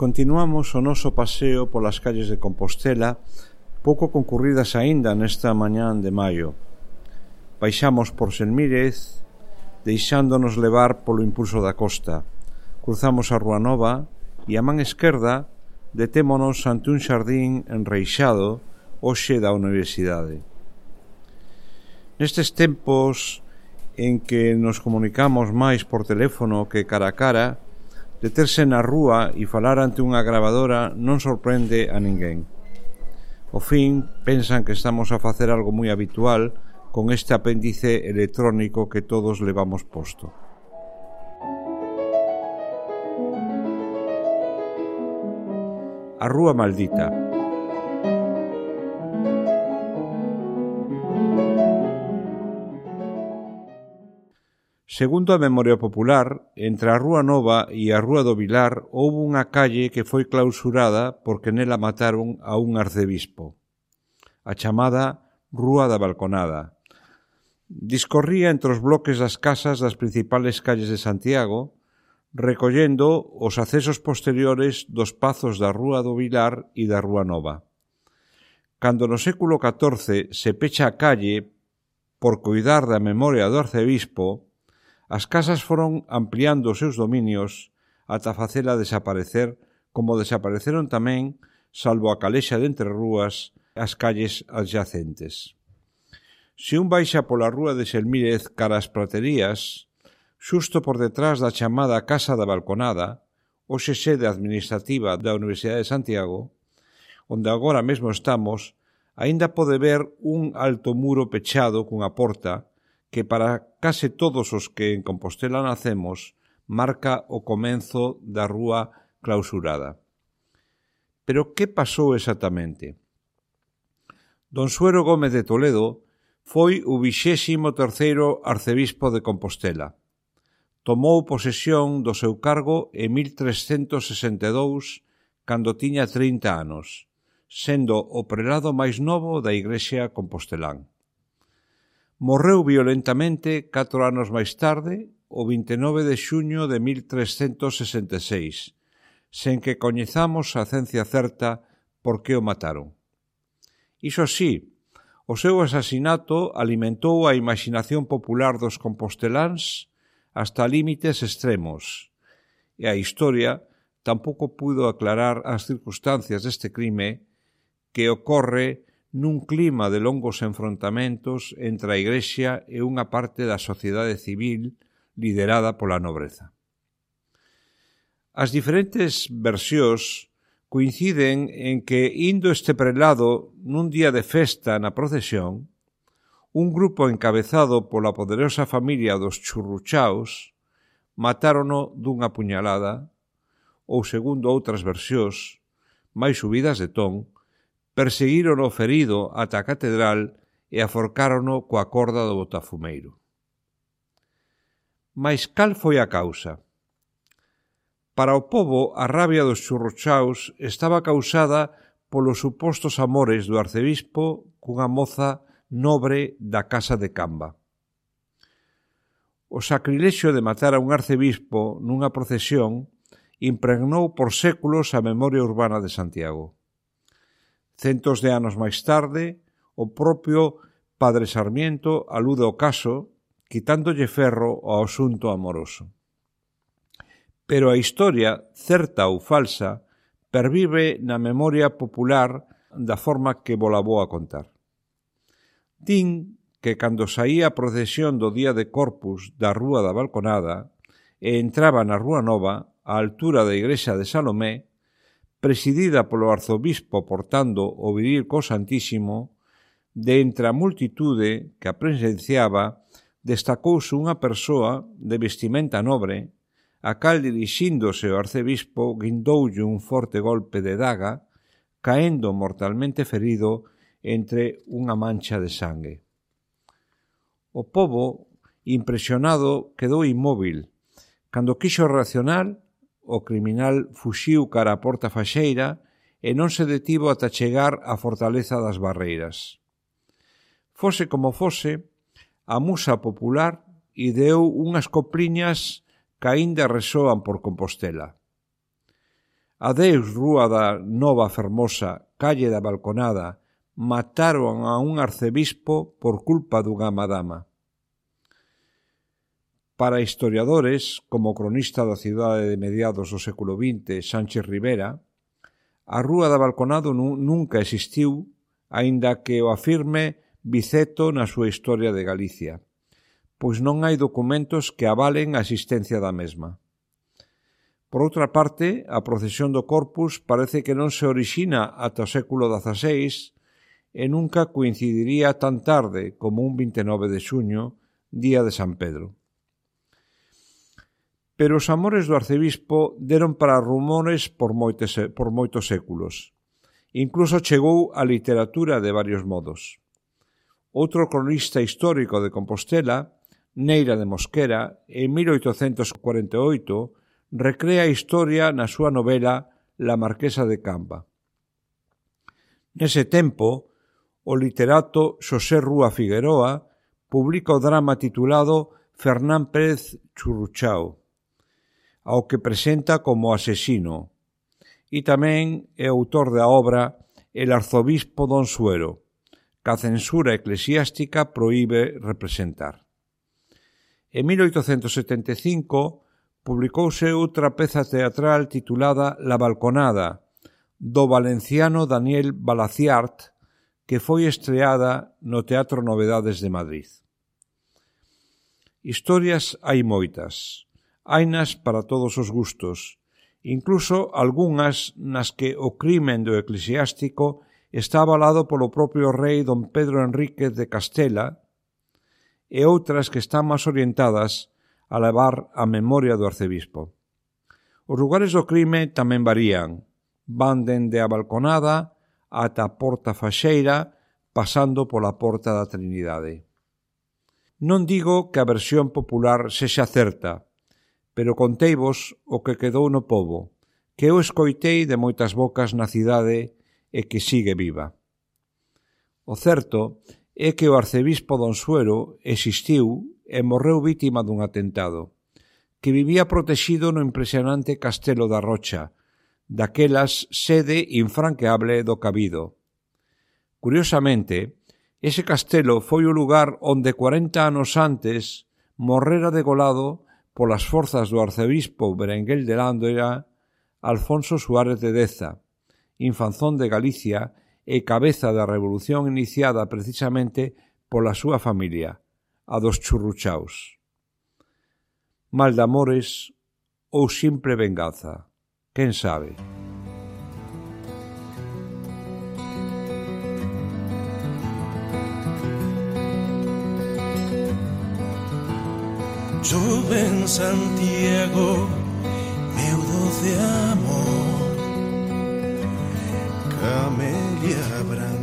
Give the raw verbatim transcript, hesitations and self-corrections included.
Continuamos o noso paseo polas calles de Compostela, pouco concurridas aínda nesta mañán de maio. Baixamos por Selmírez, deixándonos levar polo impulso da costa. Cruzamos a Rúa Nova e a man esquerda detémonos ante un xardín enreixado hoxe da Universidade. Nestes tempos en que nos comunicamos máis por teléfono que cara a cara, deterse na rúa e falar ante unha gravadora non sorprende a ninguén. Ao fin, pensan que estamos a facer algo moi habitual con este apéndice electrónico que todos levamos posto. A Rúa Maldita. Segundo a memoria popular, entre a Rúa Nova e a Rúa do Vilar houbo unha calle que foi clausurada porque nela mataron a un arcebispo, a chamada Rúa da Balconada. Discorría entre os bloques das casas das principales calles de Santiago, recollendo os accesos posteriores dos pazos da Rúa do Vilar e da Rúa Nova. Cando no século catorce se pecha a calle por coidar da memoria do arcebispo, as casas foron ampliando os seus dominios ata facela desaparecer, como desapareceron tamén, salvo a calexa de entre rúas, as calles adyacentes. Se un baixa pola rúa de Selmírez cara ás praterías, xusto por detrás da chamada Casa da Balconada, hoxe sede administrativa da Universidade de Santiago, onde agora mesmo estamos, aínda pode ver un alto muro pechado cunha porta que para case todos os que en Compostela nacemos marca o comenzo da rúa clausurada. Pero que pasou exactamente? Don Suero Gómez de Toledo foi o vixésimo terceiro arcebispo de Compostela. Tomou posesión do seu cargo en mil trescentos sesenta e dous, cando tiña trinta anos, sendo o prelado máis novo da Igrexa compostelán. Morreu violentamente catro anos máis tarde, o vinte e nove de xuño de mil trescentos sesenta e seis, sen que coñezamos a ciencia certa por que o mataron. Iso sí, o seu asasinato alimentou a imaginación popular dos composteláns hasta límites extremos, e a historia tampouco puido aclarar as circunstancias deste crime que ocorre nun clima de longos enfrontamentos entre a Igrexa e unha parte da sociedade civil liderada pola nobreza. As diferentes versións coinciden en que, indo este prelado nun día de festa na procesión, un grupo encabezado pola poderosa familia dos Churruchaos matárono dunha puñalada, ou, segundo outras versións, máis subidas de ton, perseguírono ferido ata a catedral e aforcárono coa corda do botafumeiro. Mais cal foi a causa? Para o pobo, a rabia dos Churruchaos estaba causada polos supostos amores do arcebispo cunha moza nobre da casa de Camba. O sacrilexio de matar a un arcebispo nunha procesión impregnou por séculos a memoria urbana de Santiago. Centos de anos máis tarde, o propio Padre Sarmiento alude ao caso, quitándolle ferro ao asunto amoroso. Pero a historia, certa ou falsa, pervive na memoria popular da forma que vola vou a contar. Din que cando saía a procesión do día de Corpus da Rúa da Balconada e entraba na Rúa Nova, á altura da igrexa de Salomé, presidida polo arzobispo portando o viril co Santísimo, de entre a multitude que a presenciaba, destacouse unha persoa de vestimenta nobre, a cal dirixíndose ao arcebispo guindoulle un forte golpe de daga, caendo mortalmente ferido entre unha mancha de sangue. O pobo, impresionado, quedou inmóvil. Cando quixo reaccionar, o criminal fuxiu cara a porta faxeira e non se detivo ata chegar á fortaleza das Barreiras. Fose como fose, a musa popular ideou unhas copliñas que aínda resoan por Compostela. Adeus, Rúa da Nova Fermosa, calle da Balconada, mataron a un arcebispo por culpa dunha madama. Para historiadores, como cronista da cidade de mediados do século vinte, Sánchez Rivera, a Rúa da Balconado nunca existiu, aínda que o afirme Biceto na súa Historia de Galicia, pois non hai documentos que avalen a existencia da mesma. Por outra parte, a procesión do Corpus parece que non se orixina ata o século dezaseis e nunca coincidiría tan tarde como un vinte e nove de xuño, día de San Pedro. Pero os amores do arcebispo deron para rumores por moitos, por moitos séculos. Incluso chegou á literatura de varios modos. Outro cronista histórico de Compostela, Neira de Mosquera, en mil oitocentos cuarenta e oito, recrea a historia na súa novela La Marquesa de Camba. Nese tempo, o literato Xosé Rúa Figueroa publica o drama titulado Fernán Pérez Churruchao, ao que presenta como asesino, e tamén é autor da obra El arzobispo don Suero, que a censura eclesiástica proíbe representar. En mil oitocentos setenta e cinco publicouse outra peza teatral titulada La Balconada, do valenciano Daniel Balaciart, que foi estreada no Teatro Novedades de Madrid. Historias hai moitas, hainas para todos os gustos, incluso algunhas nas que o crimen do eclesiástico está avalado polo propio rei don Pedro Enríquez de Castela e outras que están máis orientadas a levar a memoria do arcebispo. Os lugares do crime tamén varían, van dende a Balconada ata a Porta Faxeira, pasando pola Porta da Trinidade. Non digo que a versión popular sexa certa, pero conteivos o que quedou no pobo, que eu escoitei de moitas bocas na cidade e que sigue viva. O certo é que o arcebispo don Suero existiu e morreu vítima dun atentado, que vivía protexido no impresionante Castelo da Rocha, daquelas sede infranqueable do Cabido. Curiosamente, ese castelo foi o lugar onde cuarenta anos antes morrera degolado polas forzas do arcebispo Berenguel de Lándera Alfonso Suárez de Deza, infanzón de Galicia e cabeza da revolución iniciada precisamente pola súa familia, a dos Churruchaos. Mal de amores ou simple venganza, quen sabe? Chove en Santiago, meu doce amor, camelia branca.